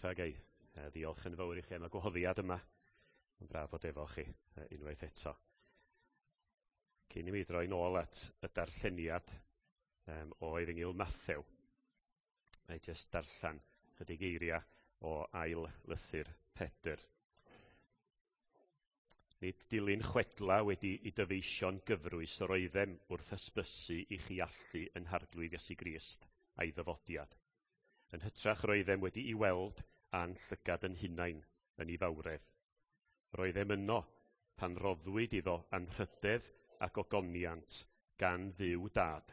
Fa gai ddiolch yn fawr i chi am y gwahoddiad yma. Mae'n braf bod efo chi unwaith eto. Cyn i mi droi nôl at y darlleniad o Efengyl Mathew, mae jyst darllen chydig eiriau o ail lythyr Pedr. Nid dilyn chwedla wedi i dyfeisio'n gyfrwys yr oeddem wrth hysbysu i chi allu yn Harglwydd Iesu Grist a'i ddyfodiad. Yn hytrach roeddem wedi'i weld a'n llygad yn hunain yn ei fawredd. Roeddem yno pan roddwyd iddo anrhydedd a gogoniant gan Dduw Dad,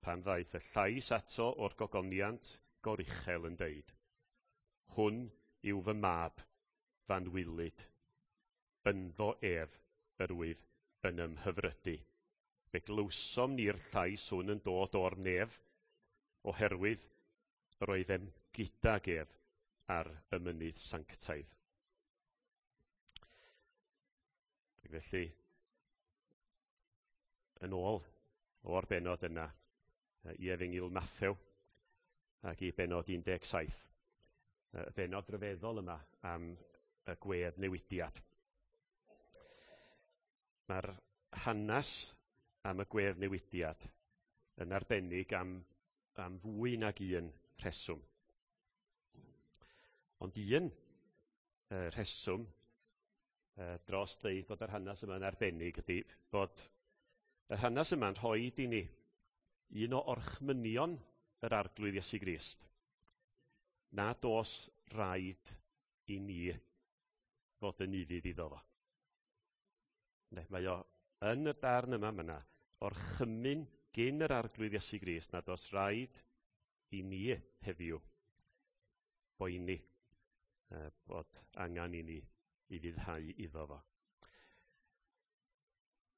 pan ddaeth y llais ato o'r gogoniant goruchel yn deud, Hwn yw fy mab, f'anwylyd, ynddo ef yr wyf yn ymhyfrydu. Fe glywsom ni'r llais hwn yn dod o'r nef, oherwydd yr oeddem gydag ef ar y mynydd sanctaidd. Ac felly, yn ôl o'r benod yna i Efengyl Mathew ac i benod 17, y benod ryfeddol yma am y gwedd newidiad. Mae'r hanes am y gwedd newidiad yn arbennig am fwy nag un rheswm. Ond un rheswm dros ddeud bod yr hanes yma'n arbennig ydy bod yr hanes yma'n rhoi i ni un o orchmynion yr Arglwydd Iesu Grist, nad oes rhaid i ni fod yn ufudd iddo fo. Ne, mae o yn y darn yma, mae yna orchymyn gyn yr Arglwydd Iesu Grist nad oes rhaid i ni heddiw boeni bod angen i ni i fuddhau iddo fo.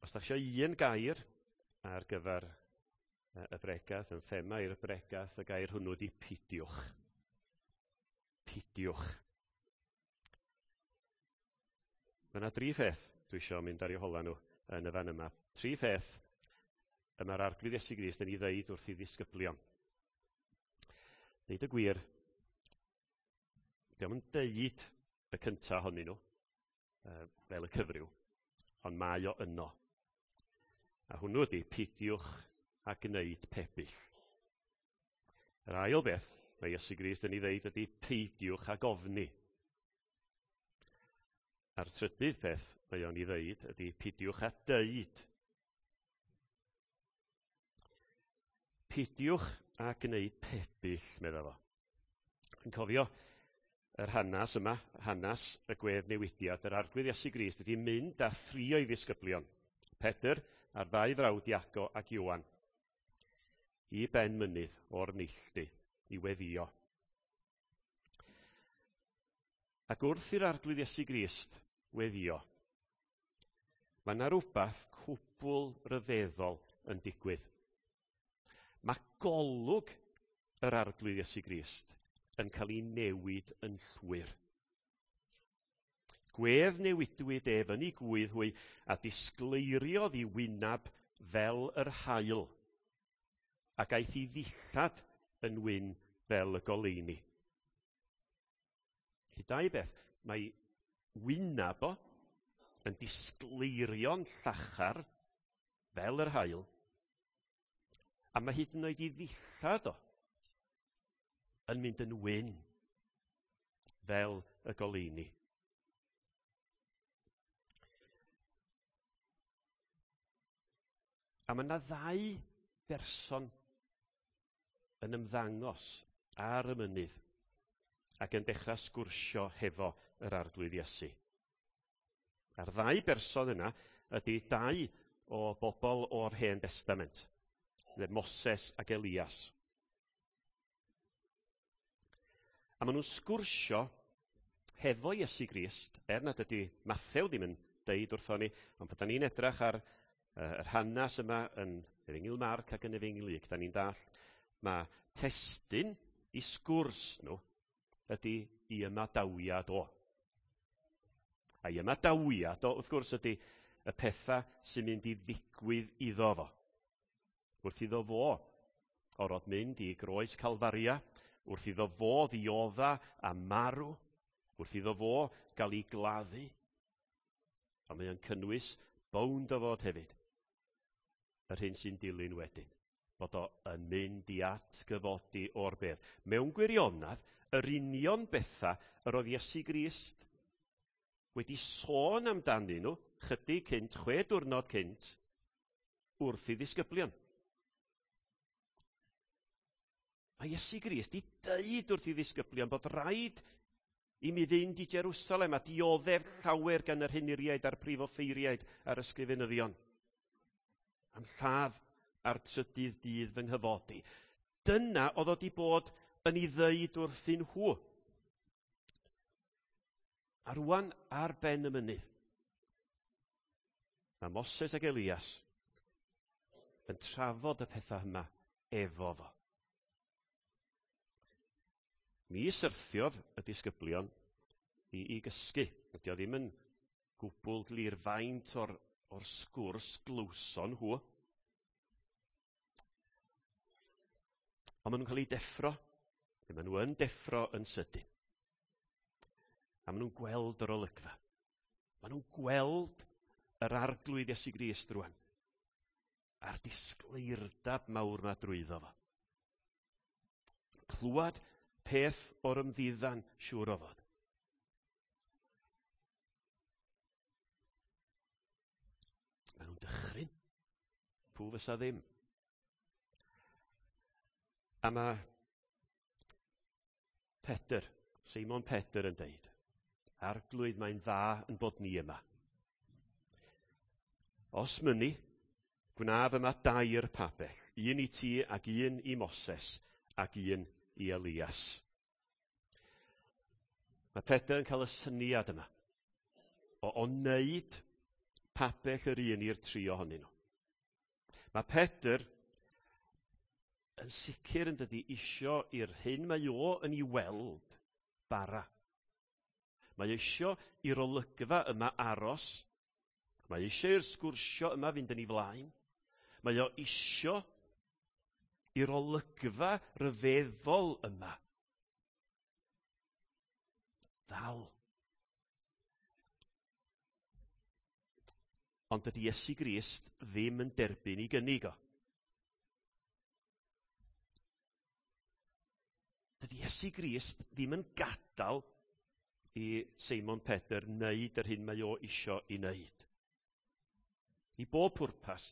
Os da chi eisiau un gair ar gyfer y bregath, yn thema i'r bregath, y gair hwnnw ydi pidiwch. Pidiwch. Mae yna dri pheth dwi eisiau mynd ar eu hola nhw yn y fan yma. Tri pheth y mae'r Arglwydd Iesu Grist yn ei ddeud wrth ei ddisgyblion. Deud y gwir, dio'm yn deud y cynta ohonyn nhw, fel y cyfryw, ond mae o yno. A hwnnw ydy pidiwch a gwneud pebyll. Yr ail beth mae Iesu Grist yn ei ddeud ydy peidiwch ag ofni. A'r trydydd peth mae o'n ei ddeud ydy pidiwch â deud. Pidiwch â gwneud pebyll, medda fo. Yn cofio yr hanes yma, hanes y gwedd newidiad, yr Arglwydd Iesu Grist wedi mynd â thri o'i ddisgyblion, Pedr a'r ddau frawd Iago ac Ioan, i ben mynydd o'r neilltu i weddio. Ac wrth i'r Arglwydd Iesu Grist weddio, mae yna rhywbeth cwbl ryfeddol yn digwydd. Mae golwg yr Arglwydd Iesu Grist yn cael ei newid yn llwyr. Gwedd newidwyd ef yn ei gwydd hwy a disgleiriodd ei wyneb fel yr haul, ac aeth ei ddillad yn wyn fel y goleuni. Felly dau beth, mae wyneb o yn disgleirio'n llachar fel yr haul, a mae hyd yn oed ei ddillad o yn mynd yn wyn fel y goleuni. A mae yna ddau berson yn ymddangos ar y mynydd ac yn dechrau sgwrsio hefo yr Arglwydd Iesu. A'r ddau berson yna ydy dau o bobl o'r Hen Destament, Moses ac Elias. A maen nhw'n sgwrsio hefo Iesu Grist, er nad ydy Mathew ddim yn deud wrthon ni, ond pan da ni'n edrach ar yr hanes yma yn Efengyl Marc ac yn Efengyl Luc, da ni'n dallt mae testun i sgwrs nhw ydy i ymadawiad o. A i ymadawiad o, wrth gwrs, ydy y pethau sy'n mynd i ddigwydd iddo fo. Wrth iddo fo orfod mynd i groes Calfaria, Wrth iddo fo ddiodda a marw, wrth iddo fo gael ei gladdu. A mae o'n cynnwys bownd o fod hefyd, yr hyn sy'n dilyn wedyn, bod o yn mynd i atgyfodi o'r bedd. Mewn gwirionedd, yr union bethau yr oedd Iesu Grist wedi sôn amdanyn nhw chydig cynt, 6 diwrnod cynt, wrth i ddisgyblion. Mae Iesu Grist 'di deud wrth i ddisgyblion bod rhaid i mi fynd i Jerusalem a dioddef llawer gan yr henuriaid a'r prif offeiriaid a'r ysgrifenyddion, am lladd a'r trydydd dydd fy nghyfodi. Dyna oedd o 'di bod yn ei ddeud wrthyn nhw. A rwan ar ben y mynydd, mae Moses ac Elias yn trafod y pethau yma efo fo. Mi syrthiodd y disgyblion i gysgu. Ydy o ddim yn gwbl glir faint o'r sgwrs glywson nhw. Ond maen nhw'n cael eu deffro. Maen nhw yn deffro yn sydyn. A maen nhw'n gweld yr olygfa. Maen nhw'n gweld yr Arglwydd Iesu Grist rwan. A'r disgleirdab mawr ma drwyddo fo. Clywed peth o'r ymddiddan, siŵr o fod. Maen nhw'n dychryn. Pw fysa ddim. A mae Pedr, Seimon Pedr yn deud, Arglwydd, mae'n dda yn bod ni yma. Os mynni, gwnaf yma dair pabell, un i ti ac un i Moses ac un i Elias. Mae Pedr yn cael y syniad yma o wneud pabell yr un i'r tri ohonyn nhw. Mae Pedr yn sicr yn dydi isio i'r hyn mae o yn ei weld bara. Mae isio i'r olygfa yma aros. Mae isio i'r sgwrsio yma fynd yn ei flaen. Mae o isio i'r olygfa ryfeddol yma ddal. Ond dydy Iesu Grist ddim yn derbyn ei gynnig o. Dydy Iesu Grist ddim yn gadael i Seimon Pedr wneud yr hyn mae o isio i wneud. I bob pwrpas,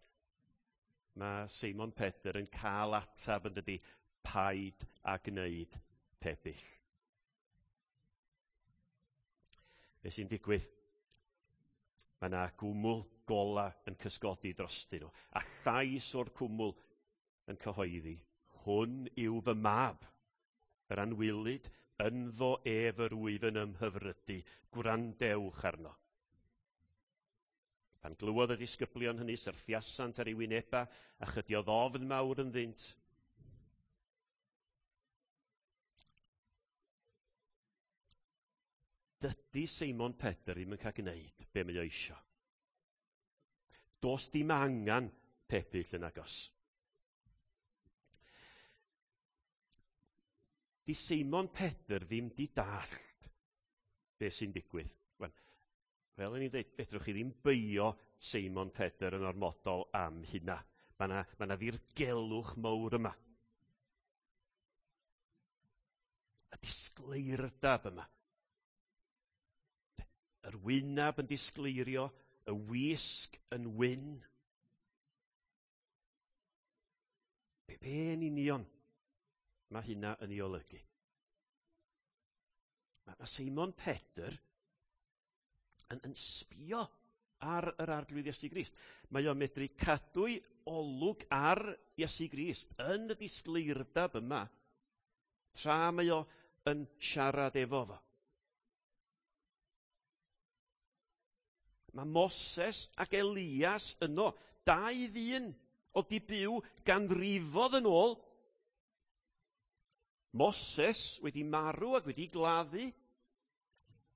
mae Seimon Pedr yn cael atab yn dydy, paid a gwneud pebyll. Be sy'n digwydd? Mae yna gwmwl gola yn cysgodi drostyn nhw, a llais o'r cwmwl yn cyhoeddi, hwn yw fy mab, yr anwylyd, ynddo ef yr wyf yn ymhyfrydu, gwrandewch arno. Pan glywodd y disgyblion hynny, syrthiasant ar ei wyneba, a chydiodd ofn mawr ynddynt. Dydy Seimon Pedr ddim yn cael gwneud be mae o isio. Does dim angen pebyll yn agos. Di Seimon Pedr ddim di dallt be sy'n digwydd. Wel, fel o'n i'n dweud, fedrwch chi ddim beio Seimon Pedr yn ormodol am hynna. Mae yna ddirgelwch mawr yma. Y disgleirdab yma. Yr wynab yn disgleirio, y wisg yn wyn. Be yn union mae hynna yn ei olygu? Mae Seimon Pedr yn sbio ar yr Arglwydd Iesu Grist. Mae o'n medru cadw'i olwg ar Iesu Grist yn y disgleirdab yma, tra mae o yn siarad efo fo. Mae Moses ac Elias yno, dau ddyn oedd di byw ganrifodd yn ôl. Moses wedi marw ac wedi gladdu.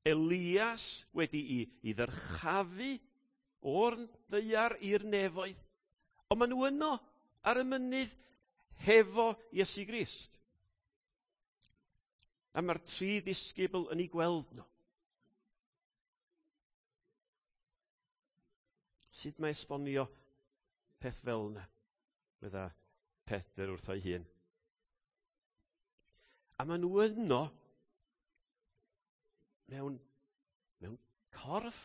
Elias wedi i ddyrchafu o'r ddaear i'r nefoedd. Ond maen nhw yno ar y mynydd hefo Iesu Grist. A mae'r 3 ddisgybl yn ei gweld nhw. Sut mae esbonio peth fel yna? Medda Pedr wrtho'i hun. A maen nhw yno mewn corff.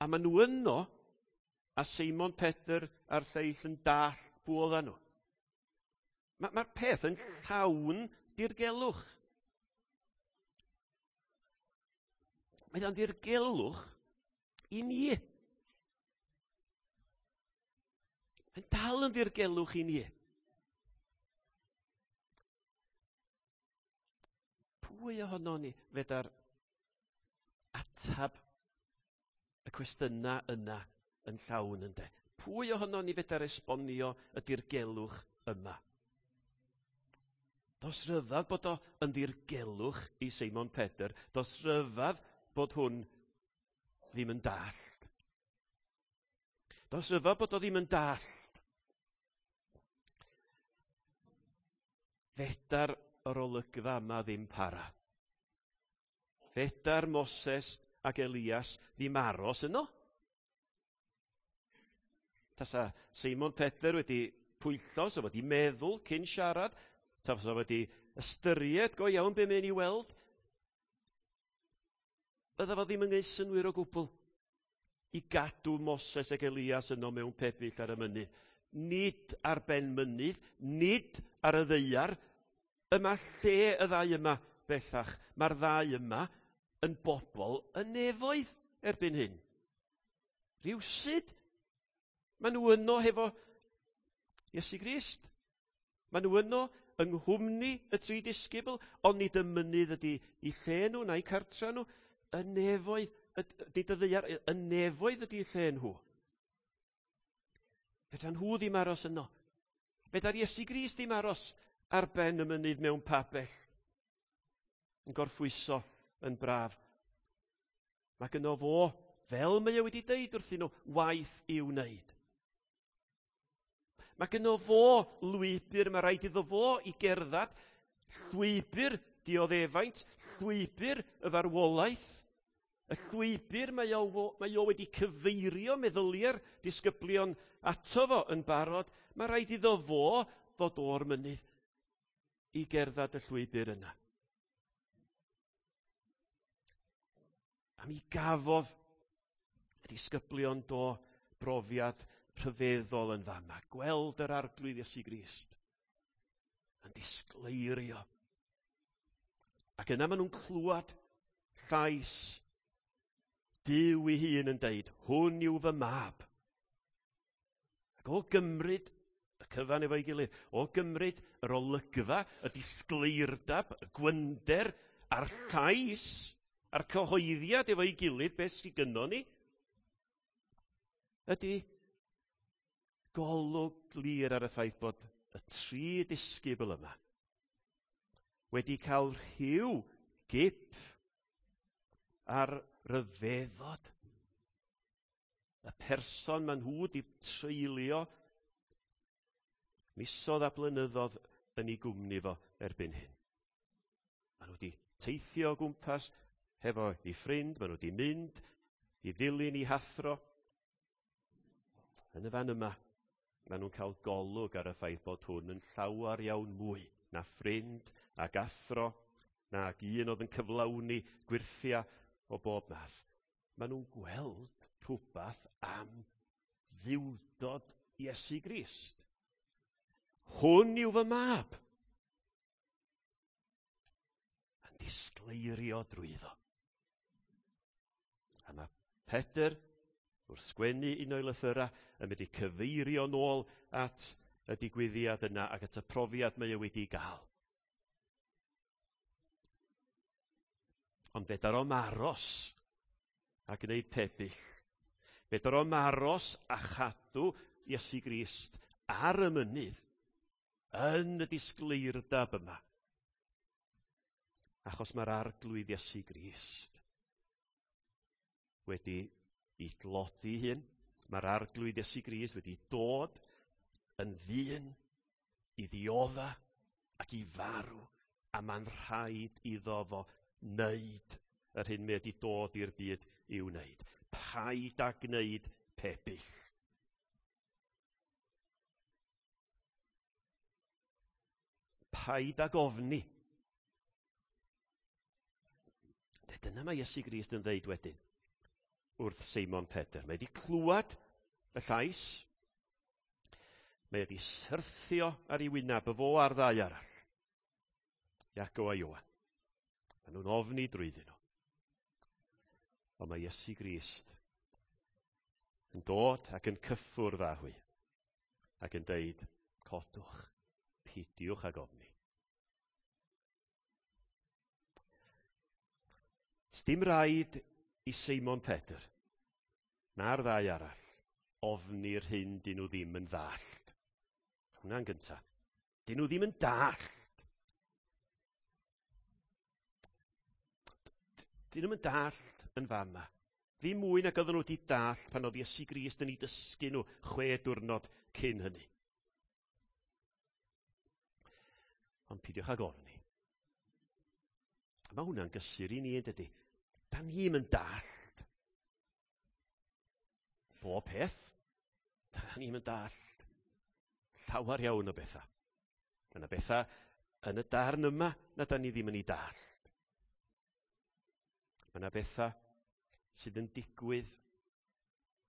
A maen nhw yno a Seimon Pedr a'r lleill yn dallt pwy oedden nhw. Mae'r peth yn llawn dirgelwch. Mae o'n ddirgelwch i ni. Mae'n dal yn ddirgelwch i ni. Pwy ohono ni fedar atab y cwestiynau yna yn llawn ynde? Pwy ohono ni fedar esbonio y dirgelwch yma? Does ryfedd bod o yn ddirgelwch i Seimon Pedr. Does ryfedd bod hwn ddim yn dallt. Does ryfedd bod o ddim yn dallt. Fedar yr olygfa yma ddim para. Fedar Moses ac Elias ddim aros yno. Tasa Seimon Pedr wedi pwyllo, so wedi meddwl cyn siarad, tasa wedi ystyried go iawn be mae'n ei weld, bydda fo ddim yn gwneud synnwyr o gwbl i gadw Moses ac Elias yno mewn pebyll ar y mynydd. Nid ar ben mynydd, nid ar y ddaear. Yma lle y ddau yma bellach. Mae'r ddau yma yn bobl y nefoedd erbyn hyn. Rhywsut, maen nhw yno hefo Iesu Grist. Maen nhw yno yng nghwmni y 3 disgybl, ond nid y mynydd ydy i lle nhw na'i cartra nhw. Y nefoedd, nid y ddaear, y nefoedd ydy lle nhw. Fedra nhw ddim aros yno. Fedra Iesu Grist ddim aros ar ben y mynydd mewn pabell, yn gorffwyso yn braf. Mae gynno fo, fel mae o wedi deud wrthyn nhw, waith i'w wneud. Mae gynno fo lwybr, mae rhaid iddo fo i gerdded, llwybr dioddefaint, llwybr y farwolaeth, y llwybr mae o wedi cyfeirio meddyliau'r disgyblion ato fo yn barod, mae rhaid iddo fo ddod o'r mynydd i gerdded y llwybr yna. A mi gafodd y disgyblion do brofiad rhyfeddol yn fama, gweld yr Arglwydd Iesu Grist yn disgleirio. Ac yna maen nhw'n clywed llais Duw ei hun yn deud, hwn yw fy mab. Ac o gymryd y cyfan efo'i gilydd, o gymryd yr olygfa, y disgleirdab, y gwynder, a'r llais, a'r cyhoeddiad efo'i gilydd, beth sydd gynnon ni, ydy golwg glir ar y ffaith bod y 3 disgybl yma wedi cael rhyw gip ar ryfeddod y person maen nhw wedi treulio misoedd a blynyddoedd yn ei gwmni fo erbyn hyn. Maen nhw wedi teithio o gwmpas hefo ei ffrind, maen nhw wedi mynd i ddilyn ei hathro. Yn y fan yma, maen nhw'n cael golwg ar y ffaith bod hwn yn llawer iawn mwy na ffrind ac athro, nag un oedd yn cyflawni gwyrthiau o bob math. Maen nhw'n gweld rhywbeth am ddiwdod Iesu Grist. Hwn yw fy mab. Yn disgleirio drwyddo. A mae Pedr, wrth sgwennu un o'i lythyrau, yn mynd i cyfeirio nôl at y digwyddiad yna ac at y profiad mae o wedi gael. Ond fedar o'm aros a gwneud pebyll. Fedar o'm aros a chadw Iesu Grist ar y mynydd yn y disgleirdab yma. Achos mae'r Arglwydd Iesu Grist wedi i glodi hun. Mae'r Arglwydd Iesu Grist wedi dod yn ddyn i ddiodda ac i farw A mae'n rhaid iddo fo wneud yr hyn mae wedi dod i'r byd i'w wneud. Paid â gwneud pebyll. Paid ag ofni. Dyna mae Iesu Grist yn ddeud wedyn wrth Seimon Pedr. Mae wedi clywed y llais. Mae wedi syrthio ar ei wyneb y fo a'r ddau arall. Iago a Ioan. Maen nhw'n ofni drwyddyn nhw. Ond mae Iesu Grist yn dod ac yn cyffwrdd â hwy ac yn deud, codwch, pidiwch ag ofni. Sdim rhaid i Seimon Pedr na'r ddau arall ofni'r hyn dyn nhw ddim yn ddallt. Hwnna'n gynta. Dyn nhw ddim yn dallt. Dyn nhw'm yn dallt yn fama. Ddim mwy nag oedden nhw wedi dallt pan oedd Iesu Grist yn ei dysgu nhw 6 diwrnod cyn hynny. Ond pidiwch ag ofni. Mae hwnna'n gysur i ni, yn dydi? Da ni'm yn dallt bob peth. Da ni'm yn dallt llawer iawn o bethau. Mae yna bethau yn y darn yma na da ni ddim yn ei dallt. Mae yna bethau sydd yn digwydd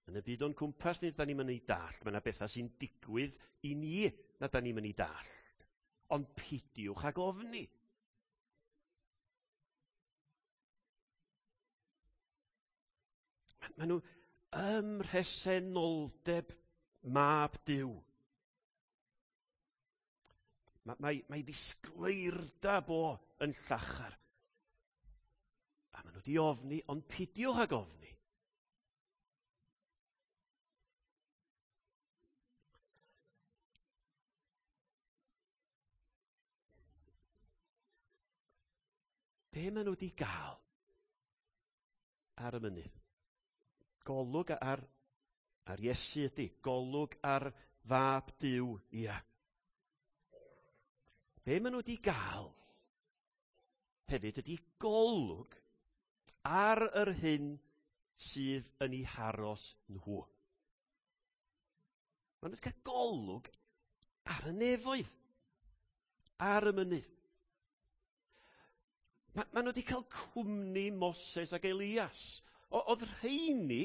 yn y byd o'n cwmpas ni, da ni'm yn ei dallt. Mae yna bethau sy'n digwydd i ni na da ni'm yn ei dallt. Ond pidiwch ag ofni. Maen nhw ym mhresenoldeb Mab Duw. Mae ddisgleirdab o yn llachar. A maen nhw wedi ofni, ond pidiwch ag ofni. Be maen nhw wedi gael ar y mynydd? Golwg ar Iesu ydy, golwg ar Fab Duw, ia. Be maen nhw wedi gael hefyd ydy golwg ar yr hyn sydd yn eu haros nhw. Maen nhw wedi cael golwg ar y nefoedd, ar y mynydd. Maen nhw wedi cael cwmni Moses ac Elias. Oedd rheini,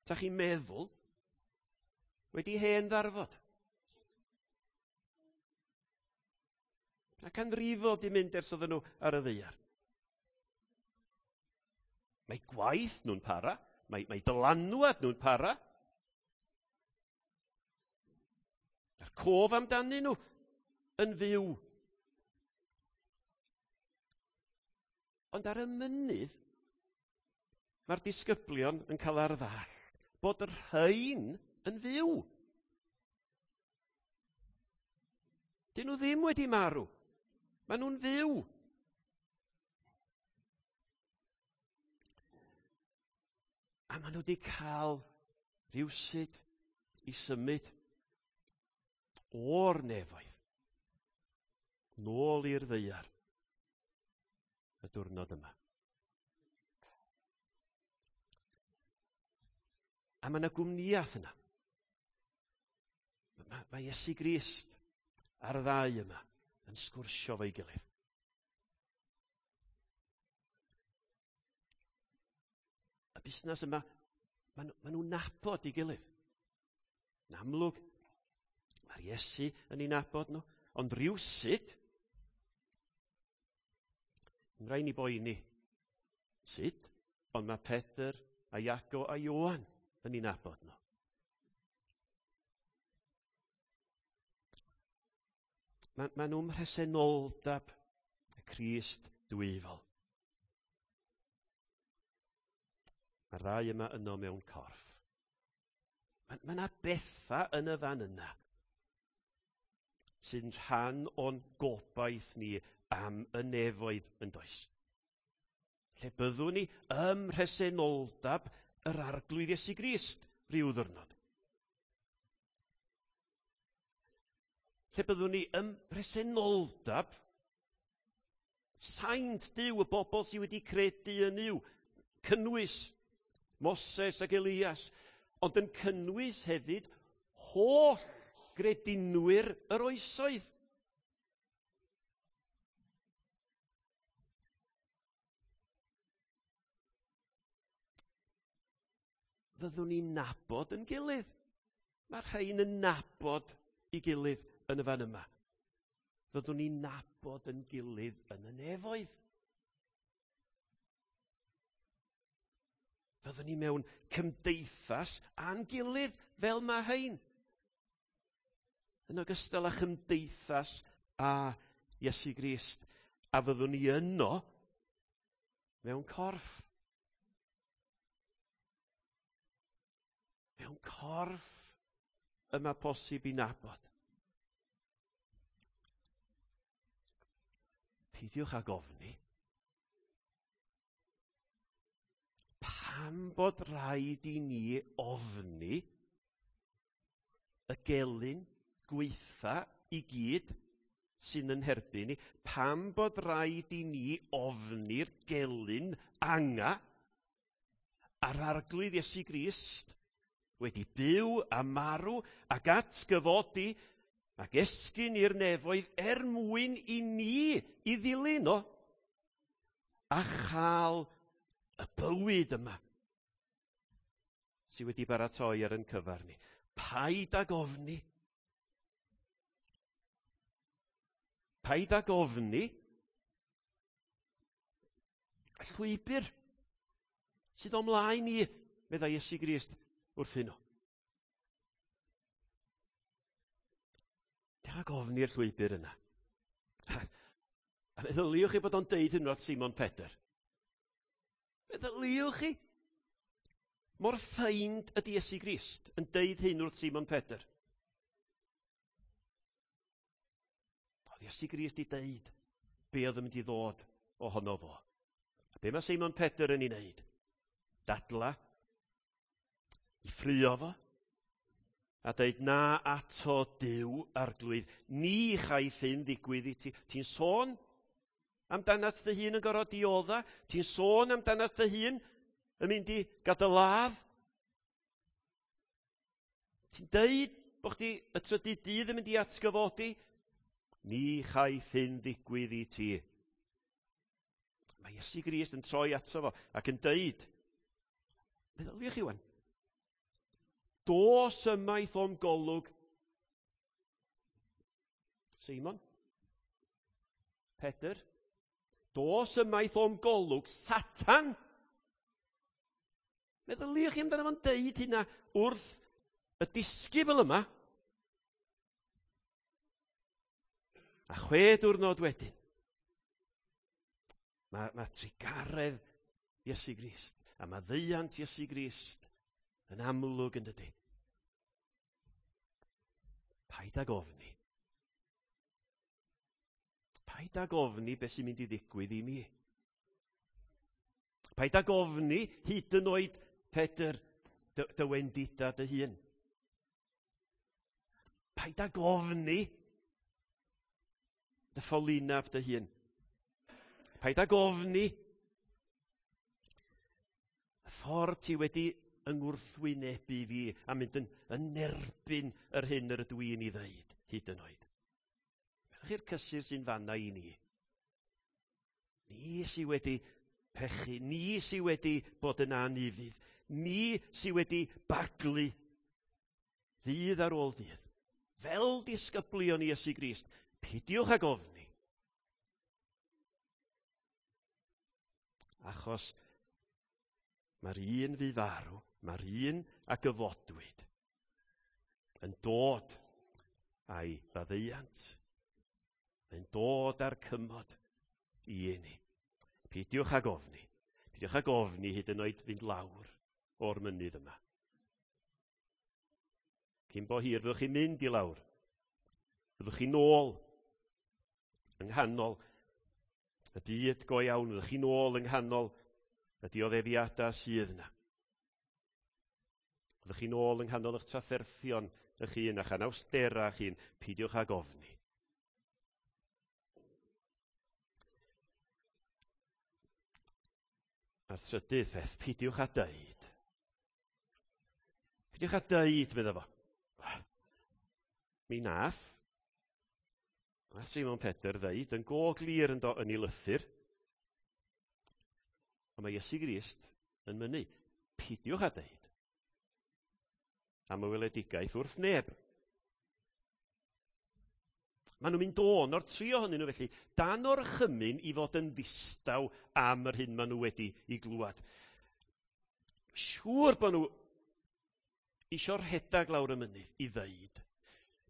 ta chi'n meddwl, wedi hen ddarfod. A canrifoedd di mynd ers oedden nhw ar y ddaear. Mae gwaith nhw'n para, mae dylanwad nhw'n para. Mae'r cof amdanyn nhw yn fyw. Ond ar y mynydd, mae'r disgyblion yn cael ar ddall bod y rhain yn fyw. Dyn nhw ddim wedi marw. Maen nhw'n fyw. A maen nhw wedi cael rhywsut i symud o'r nefoedd nôl i'r ddaear y diwrnod yma. A mae yna gwmnïaeth yna. Mae Iesu Grist a'r ddau yma yn sgwrsio fo'i gilydd. Y busnes yma, maen nhw'n nabod ei gilydd. Yn amlwg, mae'r Iesu yn ei nabod nhw, ond rhywsut, yn rhaid ni boeni. Sut? Ond mae Pedr a Iago a Ioan yn ei nabod nhw. Mae nhw'n mhresenoldeb y Crist dwyfol. Mae'r ddau yma yno mewn corff. Mae yna bethau yn y fan yna sy'n rhan o'n gobaith ni am y nefoedd yn does. Lle byddwn ni ym mhresenoldeb yr Arglwydd Iesu Grist rhyw ddiwrnod. Lle byddwn ni ym mhresenoldeb Saint Duw, y bobl sydd wedi credu yn Nuw, cynnwys Moses ac Elias, ond yn cynnwys hefyd holl gredinwyr yr oesoedd. Fyddwn ni'n nabod yn gilydd. Mae'r rhain yn nabod i gilydd yn y fan yma. Fyddwn ni'n nabod yn gilydd yn y nefoedd. Fyddwn ni mewn cymdeithas â'n gilydd fel mae rhain. Yn ogystal â chymdeithas â Iesu Grist. A fyddwn ni yno mewn corff. Mewn corff y mae posib i nabod. Peidiwch ag ofni. Pam bod rhaid i ni ofni y gelyn gweitha i gyd sy'n yn herbyn ni? Pam bod rhaid i ni ofni'r gelyn anga a'r Arglwydd Iesu Grist wedi byw a marw ac atgyfodi ac esgyn i'r nefoedd er mwyn i ni i ddilyn o a chael y bywyd yma sydd wedi baratoi ar yn cyfer ni. Paid ag ofni. Paid ag ofni y llwybr sydd o mlaen i, meddai Iesu Grist wrthyn nhw. Dewch ag ofni'r llwybr yna. A meddyliwch chi bod o'n deud hyn wrth Simon Pedr. Meddyliwch chi. Mor ffeind ydy Iesu Grist yn deud hyn wrth Simon Pedr. Oedd Iesu Grist i deud be oedd yn mynd i ddod ohono fo. A be mae Simon Pedr yn ei wneud? Dadla, i ffrio fo, a dweud na ato Duw Arglwydd, ni chaiff hyn ddigwydd i ti. Ti'n sôn amdanat dy hun yn gorfod diodda? Ti'n sôn amdanat dy hun yn mynd i gadael ladd? Ti'n deud bod chdi y trydydd dydd yn mynd i atgyfodi? Ni chaiff hyn ddigwydd i ti. Mae Iesu Grist yn troi ato fo ac yn deud, meddyliwch chi wan, dos ymaith o'm golwg. Simon, Pedr, dos ymaith o'm golwg, Satan. Meddyliwch chi amdano fo'n deud hynna wrth y disgybl yma. A 6 diwrnod wedyn, mae trugaredd Iesu Grist a mae ddeiant Iesu Grist yn amlwg yn dydy. Paid ag ofni. Paid ag ofni beth sy'n mynd i ddigwydd i mi. Paid ag ofni hyd yn oed, Pedr, dy wendida dy hun. Paid ag ofni dy ffolinab dy hun. Paid ag ofni y ffordd ti wedi yngwrthwynebu fi a mynd yn erbyn yr hyn yr ydw i'n ei ddeud, hyd yn oed. Welwch chi'r cysur sy'n fanna i ni. Ni sydd wedi pechu, ni sydd wedi bod yn anufudd, ni sydd wedi baglu ddydd ar ôl dydd. Fel disgyblion Iesu Grist, peidiwch ag ofni. Achos mae'r un fu farw, mae'r un a gyfodwyd yn dod a'i faddeuant, yn dod â'r cymod i ni. Peidiwch ag ofni. Peidiwch ag ofni hyd yn oed fynd lawr o'r mynydd yma. Cyn bo hir, fyddwch chi'n mynd i lawr. Fyddwch chi'n ôl yng nghanol y byd go iawn. Fyddwch chi'n ôl yng nghanol y dioddefiadau sydd yna. Fyddwch chi'n ôl yng nghanol eich trafferthion eich hun a'ch anawsterau eich hun. Peidiwch ag ofni. A'r trydydd peth, peidiwch â deud. Peidiwch â deud, medda fo. Mi nath Simon Pedr ddeud yn go glir ynddo yn ei lythyr. Ond mae Iesu Grist yn mynnu, peidiwch â deud am y weledigaeth wrth neb. Maen nhw'n mynd o'n o'r tri ohonyn nhw felly, dan orchymyn i fod yn ddistaw am yr hyn maen nhw wedi i glwad. Siŵr bod nhw isio rhedag lawr y mynydd i ddeud.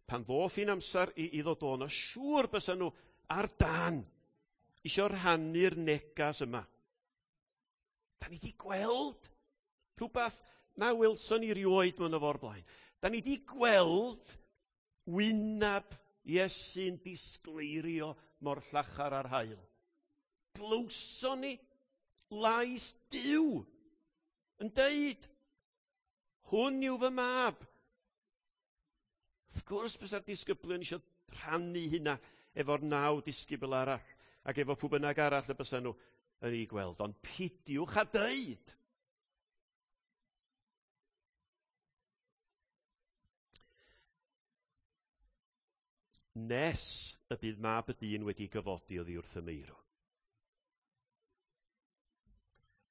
Pan ddoth hi'n amser i ddod o'n o, siŵr bysa nhw ar dan isio rhannu'r negas yma. Da ni wedi gweld rhywbeth na welson ni rioed mewn o fo'r blaen. Da ni wedi gweld wynab Iesu'n disgleirio mor llachar ar haul. Glywson ni lais Duw yn deud, hwn yw fy mab. Wrth gwrs bysa'r disgyblion eisiau rhannu hynna efo'r 9 disgybl arall ac efo pw bynnag arall y bysa nhw yn ei gweld. Ond pidiwch â deud. Nes y bydd mab y dyn wedi gyfodi oddi wrth y meirw.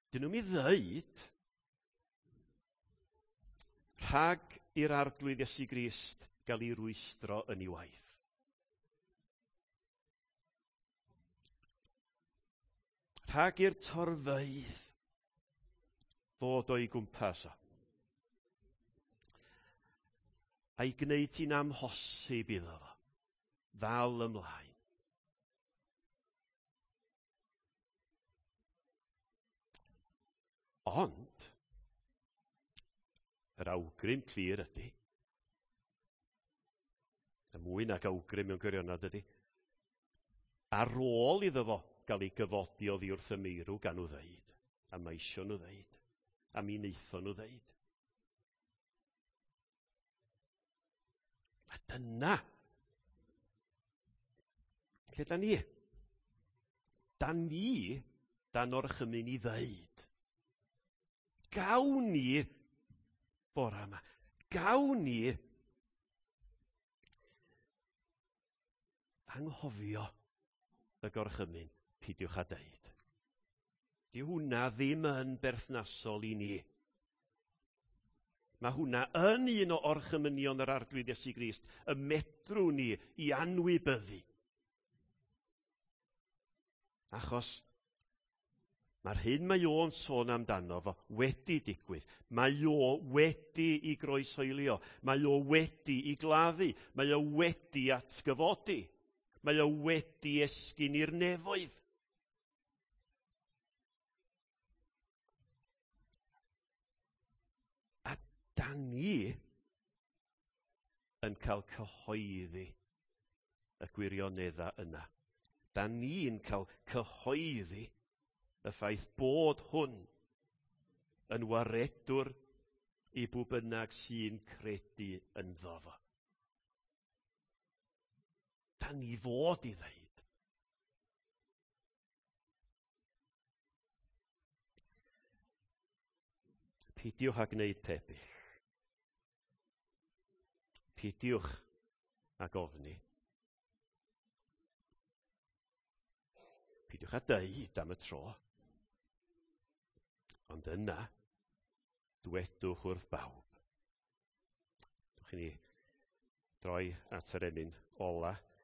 Dyn nhw'n mi ddeud rhag i'r Arglwydd Iesu Grist gael ei rwystro yn ei waith. Rhag i'r torfeydd ddod o'i gwmpas o. A'i gwneud hi'n amhosib iddo fo ddal ymlaen. Ond, yr awgrym clir ydy, y mwy nag awgrym mewn gwirionedd ydy, ar ôl iddo fo gael ei gyfodi oddi wrth y meirw gan nhw ddeud, a mae isio nhw ddeud, a mi wnaethon nhw ddeud. A dyna lle da ni. Da ni dan orchymyn i ddeud. Gawn ni bora yma. Gawn ni anghofio y gorchymyn, peidiwch â deud. Di hwnna ddim yn berthnasol i ni. Mae hwnna yn un o orchymynion yr Arglwydd Iesu Grist, y medrwn ni i anwybyddu. Achos mae'r hyn mae o'n sôn amdano fo wedi digwydd. Mae o wedi i groeshoelio. Mae o wedi i gladdu. Mae o wedi atgyfodi. Mae o wedi esgyn i'r nefoedd. A da ni yn cael cyhoeddi y gwirioneddau yna. Da ni'n cael cyhoeddi y ffaith bod hwn yn waredwr i bw bynnag sy'n credu ynddo fo. Da ni fod i ddeud. Peidiwch â gwneud pebyll. Peidiwch ag ofni. Peidiwch â deud am y tro. Ond yna, dwedwch wrth bawb. Dwch i ni droi at yr emyn ola.